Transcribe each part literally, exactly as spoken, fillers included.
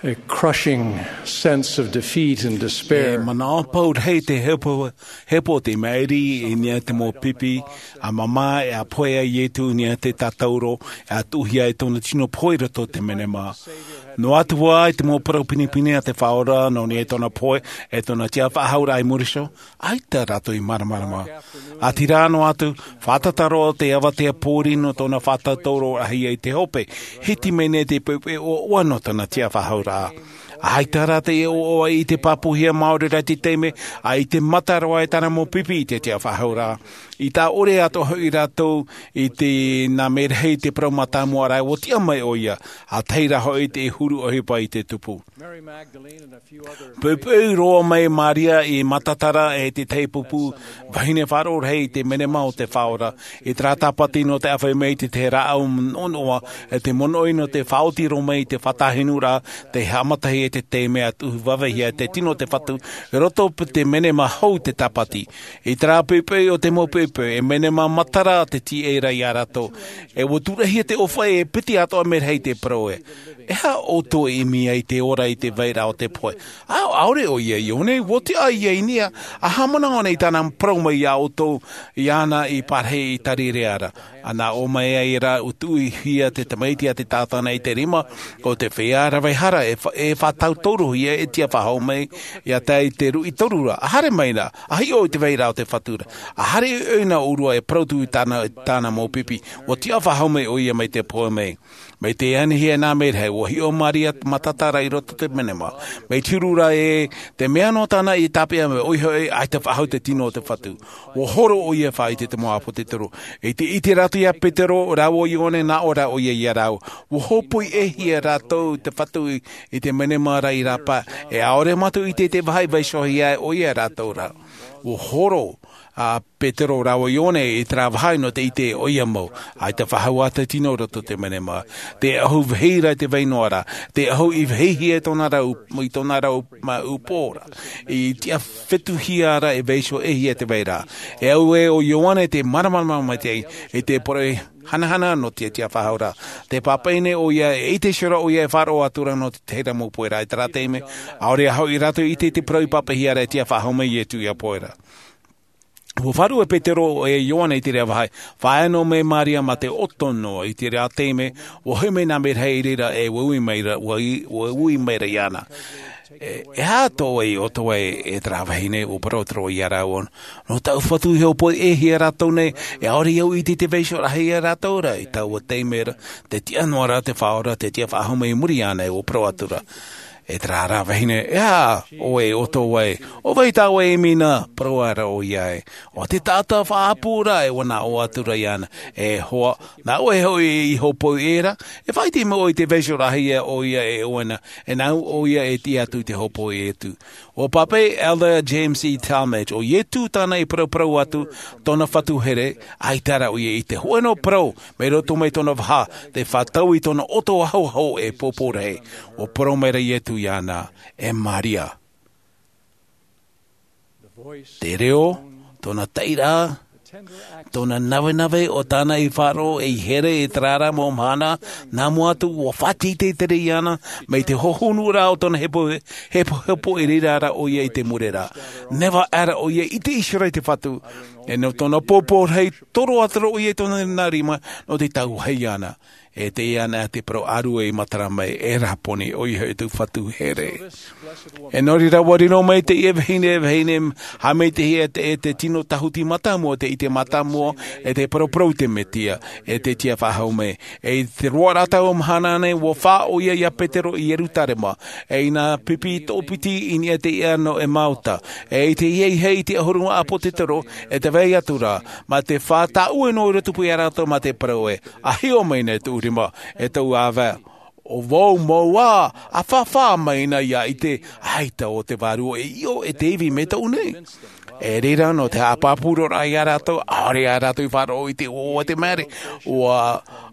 A crushing sense of defeat and despair. E manaʻo pau rahi te hepo, hepo te mairi i niʻa te mau pipi, ʻa māmā e ʻa pohe ai Ietu i niʻa te tātauro, e ʻa tuʻuhia e tōna tino pohe i roto te menema. Noa atu ā i te mau parau pinepine a te Faʻaora, nō niʻa i tōna pohe, e tōna tiʻafaʻahouraʻa i muri iho, ʻaita rātou i māramarama. ʻĀtīrā noa atu, fātata roa te avatea pōuri nō tōna fātata roa rahi ai te hope, hiti mai nei te poʻipoʻi ʻoaʻoa nō tōna tiʻafaʻahouraʻa. ʻAita rā te ʻoaʻoa i te pāpūhia māori rā te taime, ʻa i te mata roa e tāna mau pipi i te tiʻafaʻahouraʻa. I tā ʻore atoʻa hoʻi rātou i te nā merahi te parau mātāmua rā, ʻua tiʻa mai ʻoia, ʻa tahi rā hoʻi te huru ʻohipa i te tupu. Poʻipoʻi roa mai Maria i Matatara e te tahi pupu vahine faʻaroʻo rahi i te menema o te Faʻaora. I terā tāpati nō te ʻāfaʻi mai i te tahi rāʻau noʻanoʻa, e te monoʻi nō te faʻaoti roa mai i te faʻatāhinu rā, te haʻamatahi e te taime ʻa tuʻu vāveahia te tino o te Fatu, i roto i te menema hou te tāpati. I terā poʻipoʻi o te mau poʻipoʻi, e menema matara te tīaʻi ra ia rātou. E ʻua tūrahia te ʻōfaʻi e piti atoʻa merahi te parau ē. E aha ʻoutou e ʻimi ai te ora i te vairaʻa o te pohe? ʻĀ, ʻaore ʻoia Ioane, ʻua tiʻa ʻoia i niʻa, ʻa haʻamanaʻo nei tāna parau mai ia ʻoutou, iāna i pārahi i Tarirea ra. ʻA nā ʻō mai ai rā, ʻua tuʻuhia te tamaiti a te tātana i te rima o te feiā rave hara e fa-, e faʻatauturu ia e tiʻafaʻahou mai, ia tae i te ruʻi toru ra, ʻa haere mai rā, ʻa hiʻo i te vairaʻa o te Fatu ra. ʻA haere ʻoia nā ʻōrua e parau atu i tāna, tāna mau pipi, ʻua tiʻafaʻahou mai ʻoia mai te pohe mai. Mai te anihia nā merahi, ʻua hiʻo Maria Matatara i roto te menema. Mai te huru ra ē, te mea nō tāna i tāpeʻa mai, ʻoia hoʻi, ʻaita faʻahou te tino o te Fatu. ʻUa horo ʻoia e faʻaʻite i te mau ʻāpōsetolo. I te ʻite rātou ia Petero, rāua Ioane, nā ʻō rā ʻoia ia rāua. ʻUa hōpoi-ʻē-hia rātou te Fatu i, i te menema ra i rāpae. E ʻaore mātou ʻite i te vāhi i vaiihohia ai ʻoia ia rātou ra. ʻUa horo, ā, Petero rāua Ioane i terā vāhi nō te ʻite ʻoia mau. ʻAita faʻahou ā te tino i roto te menema. Te ʻahu vahi ra i te vai noa ra. Te ʻahu i vahihia i tōna ra ʻū-, i tōna ra ʻū-, mā ʻūpō ra. I tiʻa fetuhia ra e vaiiho-ʻē-hia te vairaʻa. E au ē ʻo Ioane te māramarama maitaʻi, i te poroʻi hanahana nō te tiʻafaʻahouraʻa. Te pāpaʻi nei ʻoia, e ʻite iho ra ʻoia e faʻaroʻo atu ra nō te tahi ra mau pohe ra i terā taime. ʻAore ā hoʻi rātou i ʻite i te parau i pāpaʻihia ra e tiʻafaʻahou mai Ietu ia pohe ra. ʻUa faʻaruʻe Petero e Ioane i terā vāhi, faʻaea noa mai Maria mā te ʻoto noa i terā taime, ʻua hoʻi mai nā merahi i reira e ui mai ra, ʻua i-, ʻua ui mai ra iāna. E, e aha tō ʻoe ʻoto ē, e terā vahine, ʻua parau atu ra ia rāua. Nō tāʻu Fatu i hōpoi-ʻē-hia rātou nei, e ʻaore au i ʻite i te vaiiho rahi ia rātou ra, i taua taime ra, te tiʻa noa ra te Faʻaora, te tiʻafaʻahou mai i muri iāna, ʻua parau atu ra. E terā rā vahine, e aha ʻoe ʻoto ē, ʻo vai tā ʻoe e ʻimi na, parau ā ra ʻoia ē. ʻO te taʻata faʻaʻapu ra, e ʻua nā ʻō atu ra iāna. E hoa, nā ʻoe hoʻi i hōpoi-ʻē ra, e faʻaʻite mai ʻoe i te vaiiho rahi ia ʻoia e ʻoe na, e nāʻu ʻoia e tiʻa atu i te hōpoi atu. ʻUa pāpaʻi Elder James E. Talmage, ʻo Ietu tāna i paraparau atu, tōna Fatu here, ʻaita rā ʻoia i ʻite. Hōʻē noa parau, mai roto mai tōna vaha, tē fātau i tōna ʻoto ahoaho e pōpō rahi. ʻUa parau mai ra Ietu iāna, e Maria. Te reo, tōna taʻiraʻa, tōna navenave ʻo tāna i faʻaroʻo ei here i terā ra mau mahana, nā mua atu, ʻua faʻateitei terā iāna, mai te hohonu ra o tōna hepo, hepohepo i reira ra ʻoia i te mure ra. Nehenehe ā ra ʻoia i ʻite iho ra i te Fatu, e nō tōna pōpō rahi, toro atu ra ʻoia i tōna rima, nō te tauvahi iāna. E teie nei te parau ʻārue i matara mai, e Raponi, ʻoia hoʻi tōʻu Fatu here. E nō reira ʻua riro mai teie vahine, vahine, haʻamaitaʻihia e te, e te tino tāhuti mātāmua, te ʻite mātāmua, e te paraparau i te Mesia, e te tiʻafaʻahou mai. E i te roaraʻa o taua mahana nei, ʻua fā ʻoia ia Petero i Ierutarema, e ʻia pipi toʻopiti i niʻa i te iʻa nō Emauta, e i te hia i hei i te ʻahuru ʻāpōsetolo, e tē vai atu ra, mā te fā tāʻue noa i roto pū ia rātou mā te parau ē, ʻA hiʻo mai nei tōʻu rima, e tōʻu ʻāvae. ʻO vau mau ā, ʻa fāfā mai na ʻia ʻite, ʻaita ʻo te Vārua e ʻio, e te ivi mai tōʻu nei. E reira nō te haʻapāpū roa ia rātou, ʻaore ā rātou i faʻaroʻo i te ʻoaʻoa te maere, ʻua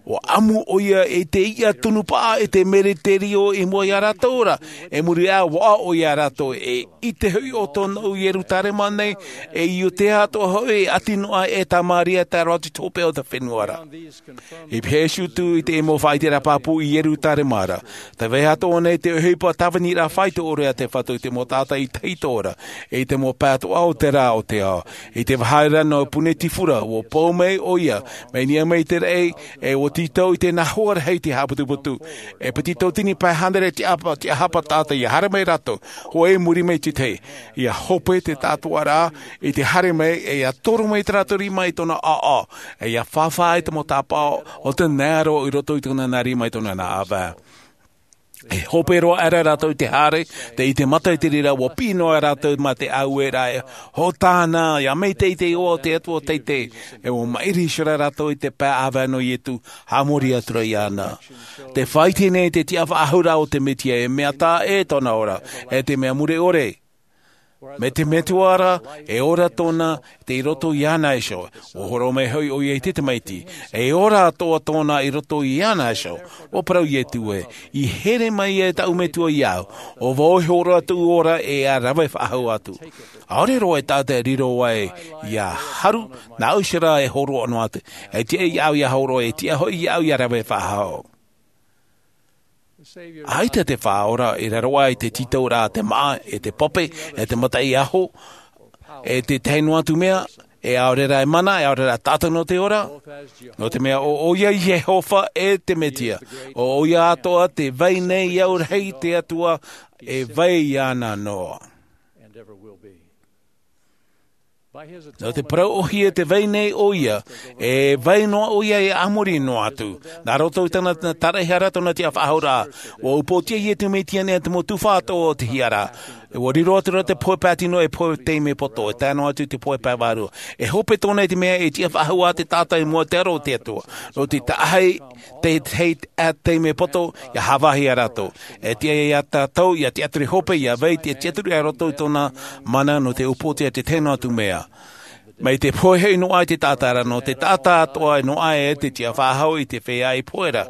ʻUa ʻamu ʻoia i te iʻa tunu paʻa e te meriterio i mua iā rātou ra. E muri aʻe ʻua ʻoia rātou e ʻite hoʻi ʻo tōna ʻu ierutarema nei, e iutea atoʻa hoʻi e ʻati noa e tamaria tae roa atu i te hopeʻa o te fenua ra. I pēhea ʻoia atu i te mau faʻaiteraʻa pāpū i ierutarema ra? Te vaiiho atoʻa nei te ʻohipa tāvini rā fāito ʻore a te fatu i te mau taʻata i tahito ra, i te mau pae atoʻa o te rā o te ao. I te vāhi ra nō pune tifura ʻua pau mai ʻoia, mai niʻa mai te raʻi, e ʻua tītau i te nā hoa rahi te haʻaputuputu. E piti tauatini pae hānere tiʻahapa taʻata ia haere mai rātou, hoʻi muri mai te tahi, ia hope te tātuaraʻa i te haere mai, e ia toro mai te rātou rima i tōna ʻaʻa, e ia fāfā i te mau tāpaʻo o te nā aro i roto i tōna nā rima i tōna nā ʻāvae. E hope roa aʻera rātou i te haere, te ʻite mata i te reira ʻua piʻi noa rātou mā te ʻaueraʻa e hōtana, ia maitaʻi te iʻoa o te atua teitei. E ʻua maʻiri iho rā rātou i te pae ʻāvae nō iesu, haʻamori atu ra iāna. Te faʻaite nei te tiʻafaʻahouraʻa o te mesia e mea taʻa ʻē tōna ora, e te mea mure ʻore. Mai te metua ra, e ora tōna i roto iāna iho. ʻUa horo mai hoʻi ʻoia i te tamaiti, e ora atoʻa tōna i roto iāna iho. ʻUa parau iesu ē, i here mai e taʻu metua iāʻu, ʻo vau e hōroʻa tuʻu ora e ia rave faʻahou atu. ʻAore roa e taʻata e riro ai ia haru, nā ʻu iho rā e hōroʻa noa atu. E tiʻa iāʻu ia hōroʻa, e tiʻa hoʻi iāʻu ia rave faʻahou. ʻAita te faʻaora i raro aʻe i te tītauraʻa a te māʻa, e te pape, e te mataʻi aho, e te tahi noa atu mea, e ʻaore rā e mana, e ʻaore rā taʻata nō te ora. Nō te mea ʻo ʻoia iehova e te mesia, ʻo ʻoia atoʻa te vai nei au rahi te atua, e vai iāna noa. Nō te parau ʻohie te vai nei ʻoia, e vai noa ʻoia e ʻāmori noa atu. Nā roto i tōna taraʻehara, tōna tiʻafaʻahouraʻa, ʻua upoʻotiʻa iesu mesia nei te mau tuhaʻa atoʻa o te hiaraʻa. ʻUa riro atu ra te pohe pae tino e pohe taime poto, e tae noa atu i te pohe pae vārua. E hope tōna i te mea e tiʻafaʻahou te taʻata i mua i te aro o te atua. Nō te tahi, te tahi taime poto ia hāvāhi ia rātou. E tiʻa iā tātou ia tiʻaturi hope, ia vai te tiʻaturi i roto i tōna mana nō te upoʻotiʻa te tahi noa atu mea. Mai te pohe hoʻi noa i te taʻata ra, nō te taʻata atoʻa noa e te tiʻafaʻahou i te feiā i pohe ra.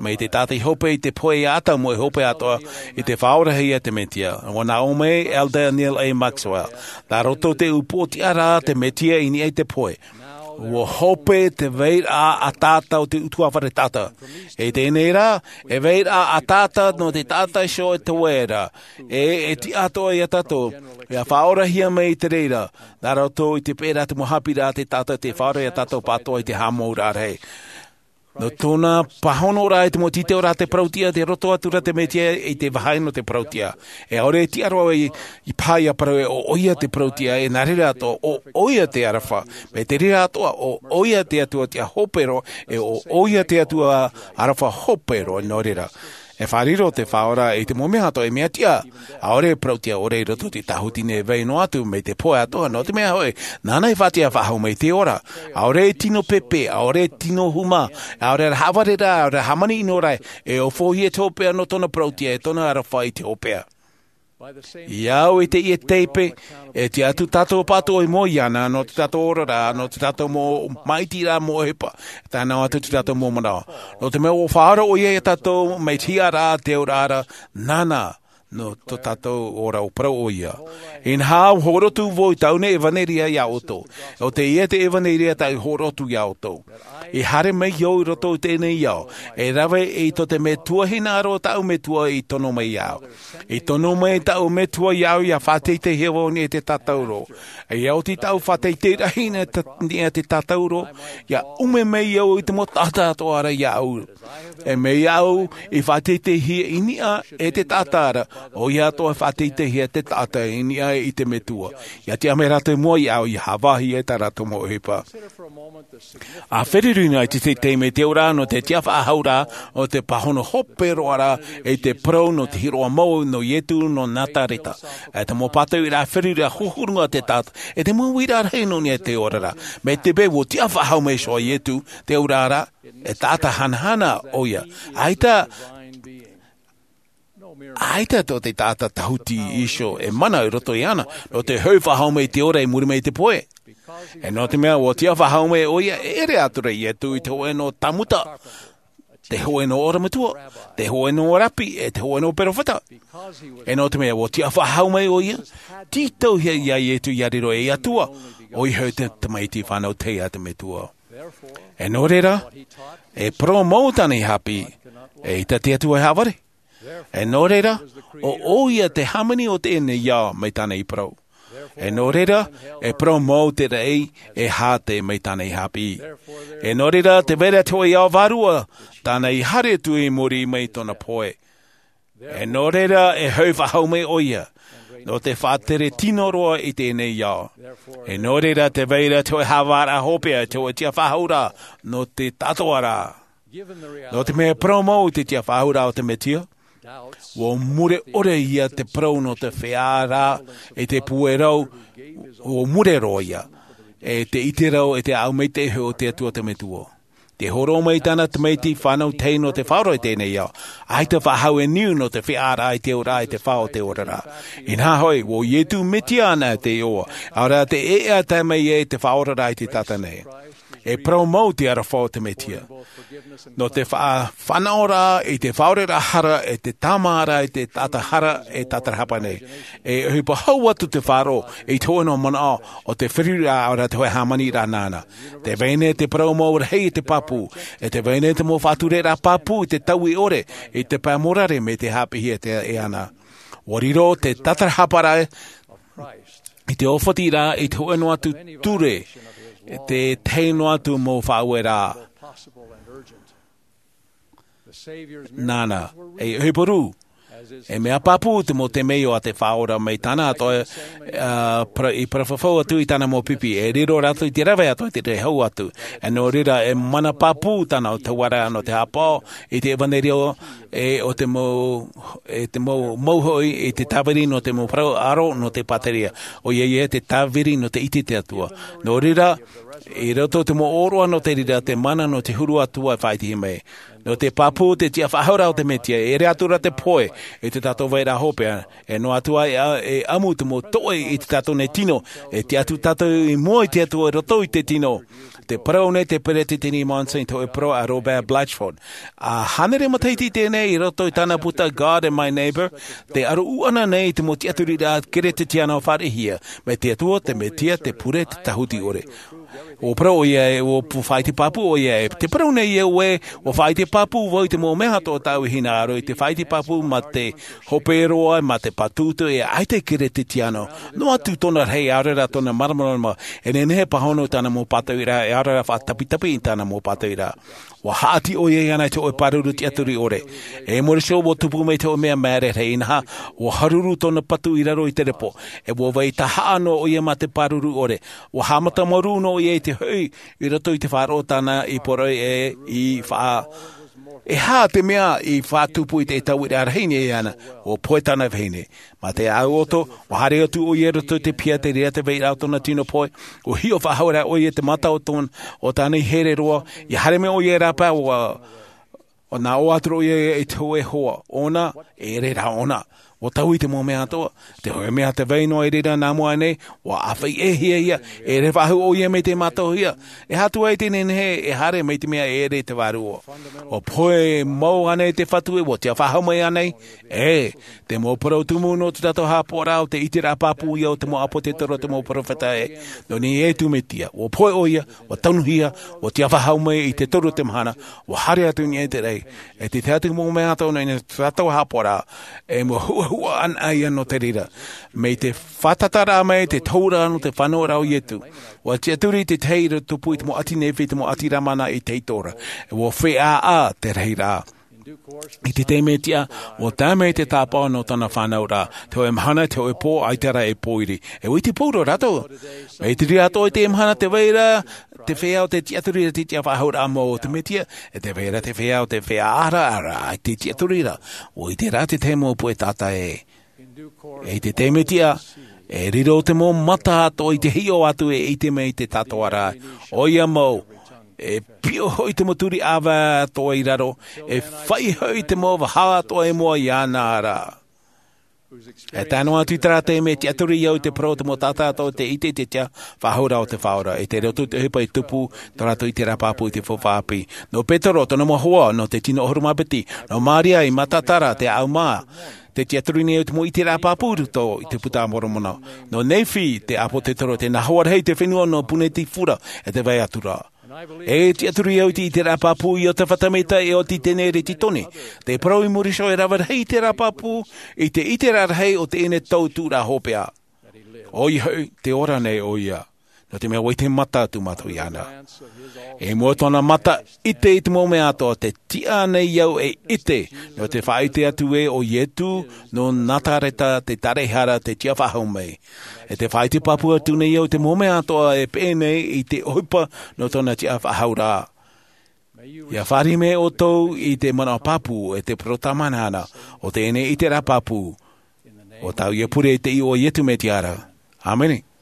Mai te taʻata i hope i te pohe ia ʻadamu e hope atoʻa i te faʻaorahia te mesia. ʻUa nā ʻō mai elder neal a maxwell, nā roto i te upoʻotiʻa ra te mesia i niʻa i te pohe, ʻua hope te vairaʻa ʻataʻata o te ʻutuāfare taʻata. I teie nei rā, e vairaʻa ʻataʻata nō te taʻata iho e te vai ra. E e tiʻa atoʻa iā tātou ia faʻaorahia mai i te reira, nā roto i te peʻeraʻa te mau haʻapiʻiraʻa a te taʻata te faʻaora iā tātou pātoʻa i te haʻamouraʻa rahi. Nō tōna pāhonoraʻa i te mau tītauraʻa te parau-tiʻa, tei roto atu ra te mesia i te vāhi nō te parau-tiʻa. E ʻaore e tiʻa roa i pā ia parau ē ʻo ʻoia te parau-tiʻa, e nā reira atoʻa ʻo ʻoia te aroha. Mai te reira atoʻa ʻo ʻoia te atua tiʻa hope roa, e ʻo ʻoia te atua aroha hope roa nō reira. E faʻariro te faʻaora i te mau mea atoʻa e mea tiʻa. ʻAore e parau-tiʻa ʻore i roto i te tāhuti nei e vai noa atu mai te pohe atoʻa, nō te mea hoʻi, nāna e faʻatiʻa faʻahou mai te ora. ʻAore e tino pēpē, ʻaore e tino huma, ʻaore rā haʻavare ra, ʻaore rā hāmani ʻino ra, e ofohia te hopeʻa nō tōna parau-tiʻa, e tōna aroha i te hopeʻa. I au i teie teipe, e tiʻa atu tātou pātoʻa i mua iāna, nō te tātou oraraʻa, nō te tātou mau māʻitiraʻa, mau ʻohipa, tae noa atu te tātou mau manaʻo. Nō te mea ʻua faʻaora ʻoia iā tātou mai te hiʻaraʻa a te auraʻa ra, nāna nō tō tātou ora, ʻua parau ʻoia. Inaha, ʻua hōroʻa atu vau i taʻu nei ʻevanelia iā ʻoutou. ʻO teie te ʻevanelia tāʻu i hōroʻa atu iā ʻoutou. I haere mai au i roto i teie nei ao, e rave i tō te metua hinaʻaro o tāʻu metua i tono mai iāʻu. I tono mai tāʻu metua iāʻu ia faʻateiteihia vau i niʻa i te tātauro. ʻIa oti tāʻu faʻateitei rahi i niʻa i te tātauro, ʻia ʻume mai au i te mau taʻata atoʻa ra iāʻu. E mai au i faʻateiteihia i niʻa i te taʻata ra, ʻoia atoʻa e faʻateiteihia te taʻata i niʻa i te metua. ʻIa tiʻa mai rātou i mua iāʻu, ʻia haʻavāhi i tā rātou mau ʻohipa. ʻA feruri noa i te taime i te auraʻa nō te tiʻafaʻahouraʻa, ʻo te pāhono hope roa ra, i te parau nō te hiʻoraʻa mau nō iesu nō nazareta. E te mau pātoʻiraʻa feruri ʻa huruhuru noa te taʻata, e te mau uiraʻa rahi nō niʻa i te oraraʻa. Mai te peu ʻua tiʻafaʻahou mai iho ā iesu, te auraʻa ra, e taʻata hanahana ʻoia. ʻAita, ʻaita tō te taʻata tāhuti iho e mana i roto iāna, nō te hoʻi faʻahou mai i te ora i muri mai i te pohe. E nō te mea ʻua tiʻafaʻahou mai ʻoia, e ʻere atu ra iesu i te hōʻē nō tāmuta. te hōʻē nō ʻorometua, te hōʻē nō rapi, e te hōʻē nō perofeta. E nō te mea, ʻua tiʻa faʻahou mai ʻoia, tītauhia ia Ietu ia riro ei Atua, ʻoia hoʻi te tamaiti fānau tahi a te Metua. E nō reira, e parau mau tāna i haʻapiʻi, eʻita te Atua e haʻavare. E nō reira, ʻo ʻoia te hāmani o teie nei ao mai tāna i parau. E nō reira, e parau mau te raʻi e hāte mai tāna i haʻapiʻi. E nō reira, tē vai ra te hōʻē ao vārua tāna i haere atu i muri mai tōna pohe. E nō reira, e hoʻi faʻahou mai ʻoia, nō te faʻatere tino roa i teie nei ao. E nō reira, tē vai ra te hōʻē haʻavāraʻa hopeʻa, te hōʻē tiʻa faʻahou ra, nō te tātōʻaraʻa. Nō te mea parau mau i te tiʻa faʻahou ra o te Mesia, ʻua mure ʻore ia te parau nō te feiā ra, e te puerau, ʻua mure roa ia, e te ʻite rau, e te ʻāʻau maitaʻi hoʻi o te Atua te Metua. Tē hōroʻa mai tāna tamaiti fānau tahi nō te faʻaora i teie nei ao. ʻAita faʻahou e niu nō te feiā ra i te auraʻa, i te fā o te oraraʻa. Inaha hoʻi, ʻo Ietu Mesia anaʻe te iʻoa, ʻaore rā te ʻēʻa tae mai ai te faʻaoraraʻa i te taʻata nei. E parau mau te aroha o te Mesia. Nō te faʻa-, fānaʻoraʻa i te faʻaoraraʻa hara, e te tāmāʻaraʻa i te taʻata hara, e tātarahapa nei. E ʻohipa hau atu te faʻaroʻo, i te hōʻē nō manaʻo, ʻo te feruriraʻa ʻaore rā te hōʻē hāmaniraʻa nāna. Tē vai nei te parau mau rahi i te pāpū, e tē vai nei te mau faʻatureraʻa pāpū i te taui ʻore, i te pae morare mai te haʻapiʻihia e ana. ʻUa riro te tātarahaparaʻa i te ʻōfatiraʻa i te hōʻē noa atu ture, te tahi noa atu mau faʻaueraʻa. Nāna, e ʻohipa rū, e mea pāpū te mau temeio a te Faʻaora mai tāna atoʻa, ā, para-, i parau fafau atu i tāna mau pipi, e riro rātou i te rave atoʻa i te hau atu. E nō reira, e mana pāpū tāna o te hauaraʻa nō te haʻapaʻo i te ʻevanerio, e ʻo te mau, e te mau, mau hoʻi i te tāviri nō te mau parau ʻaro nō te pāteria. ʻOia ia te tāviri nō te ʻite i te Atua. Nō reira, i roto i te mau ʻōroʻa nō te reira, te mana nō te huru atu e faʻaʻitehia mai. Nō te pāpū te tiʻa faʻahou ra o te Mesia, e ʻere atu ra te pohe i tā tātou vairaʻa hopeʻa, e noa atu ai e ʻamu te mau toʻe i tā tātou nei tino, e tiʻa atu tātou i mua i te Atua i roto i te tino. Tē parau nei te Peresideni Monson i te hōʻē parau a Robert Blatchford. ʻA hānere matahiti teie nei i roto i tāna puta God and My Neighbor, tē ʻaru ʻana nei i te mau tiʻaturiraʻa Keresetiano fāriʻihia, mai te Atua, te Mesia, te Pure, te Tāhuti ʻore. ʻUa parau ʻoia ē, ʻua pu-, faʻaʻite pāpū ʻoia ē. Tē parau nei ia ē, ʻua faʻaʻite pāpū vau i te mau mea atoʻa tāʻu i hinaʻaro, i te faʻaʻite pāpū mā te hope roa, mā te patutu, e ʻaita e Keresetiano. Noa atu tōna rahi, ʻaore rā tōna māramarama, e nehenehe e pāhono i tāna mau pātoʻiraʻa, e ʻaore rā faʻatapitapi i tāna mau pātoʻiraʻa. ʻUa haʻati ʻoia iāna i te hōʻē pāruru tiʻaturi ʻore. E mōrī iho ʻua tupu mai te hōʻē mea māere rahi, inaha, ʻua haruru tōna patu i raro i te repo. E ʻua vai tahaʻa noa ʻoia mā te pāruru ʻore. ʻUa haʻamata marū noa ʻoia i te hoʻi, i roto i te faʻaroʻo tāna i poroʻi ē, i faʻa-, e aha te mea i faʻatupu i te tauiraʻa rahi nei iāna, ʻua pohe tāna vahine. Mā te ʻāʻau ʻoto, ʻua haere atu ʻoia i roto i te piha, te reira te vairaʻa o tōna tino pohe, ʻua hiʻo faʻahou ra ʻoia i te mata o tōn-, o tāna here roa, ʻia haere mai ʻoia i rāpae, ʻua, ʻua nā ʻō atu ra ʻoia i te hōʻē hoa ʻōna, e ʻere rā ʻōna. ʻUa taui te mau mea atoʻa, te hōʻē mea tē vai noa i reira nā mua nei, ʻua ʻāfaʻi ʻē hia ia, e ʻere faʻahou ʻoia mai te mātauhia, e aha atu ai te nehenehe, e haere mai te mea e ʻere te vārua. ʻUa pohe mau ānei te Fatu ē, ʻua tiʻa faʻahou mai ānei, ē, te mau parau tumu nō tā tātou haʻapaʻoraʻa, ʻo te ʻiteraʻa pāpū ia o te mau ʻāpōsetolo, te mau perofeta ē, nō niʻa iā Iesu Mesia, ʻua pohe ʻoia, ʻua tonuhia, ʻua tiʻa faʻahou mai i te toru o te mahana, ʻua haere atu i niʻa i te raʻi. E te tahi atu mau mea atoʻa nō niʻa i tā tātou haʻapaʻoraʻa, e mau huʻahuʻa anaʻe ia nō te reira. Mai te fātata ra mai te tohu ra nō te fānauraʻa o Iesu. ʻUa tiʻaturi te tahi i tupu i te mau ʻati Nephi, te mau ʻati Lamana i te itoraʻa. E ʻua feiā te rahiraʻa. I te taime tiʻa, ʻua tae mai te tāpaʻo nō tōna fānauraʻa, te hōʻē mahana, te hōʻē pō, ʻaita rā e pōiri. E ʻua ʻite pauroa rātou. Mai te reira atoʻa i te mahana tē vai ra te feiā o te tiʻaturi, te tiʻa faʻahou ra mau o te Mesia, e tē vai ra te feiā o te feiā ʻāraʻara i te tiʻaturi ra. ʻUa ʻite rā te tahi mau puʻe taʻata ē. I te taime tiʻa, e riro te mau mata atoʻa i te hiʻo atu e ʻite mai te tātōʻaraʻa. ʻOia mau, e piʻo hoʻi te mau turi ʻāvae atoʻa i raro, e faʻi hoʻi te mau vaha atoʻa i mua iāna ra. E tae noa atu i te rā taime e tiʻaturi au i te parau o te mau tātāʻo, te ʻite i te tiʻa faʻahou rā o te Faʻaora, e te roto i te ʻohipa i tupu tō rātou ʻiteraʻa pāpū i te faufaʻa ʻāpī. Nō Petero, tōna mau hoa, nō te tino ʻahuru mā piti, nō Maria i Magadala, te ʻāʻau mā, tē tiʻaturi nei au i te mau ʻiteraʻa pāpū i roto i te Buka a Moromona. Nō Nefi, te ʻāpōsetolo, tē nā hoa rahi i te fenua nō Punaauia, e te vai atu ra. E tiʻaturi au i te ʻiteraʻa pāpū a Iosepha Samita e Ōteni Teneretitone, te parau i muri iho e rave rahi ʻiteraʻa pāpū i te ʻiteraʻa rahi o teie nei tau tūraʻa hopeʻa. ʻOia hoʻi, tē ora nei ʻoia, nō te mea ʻua ʻite mata atu mātou iāna. I mua i tōna mata ʻite i te mau mea atoʻa, tē tiʻa nei au e ʻite, nō te faʻaʻite atu ē ʻo Iesu nō Nazareta, te Tāraʻehara, tē tiʻa faʻahou mai. E tē faʻaʻite pāpū atu nei au i te mau mea atoʻa e peʻe nei i te ʻohipa nō tōna tiʻa faʻahou ra. ʻIa fāriʻi mai ʻoutou i te manaʻo pāpū e te parau tāmāhine o teie nei ʻiteraʻa pāpū, ʻo tāʻu ia pure i te iʻoa o Iesu Mesia ra. ʻĀmene.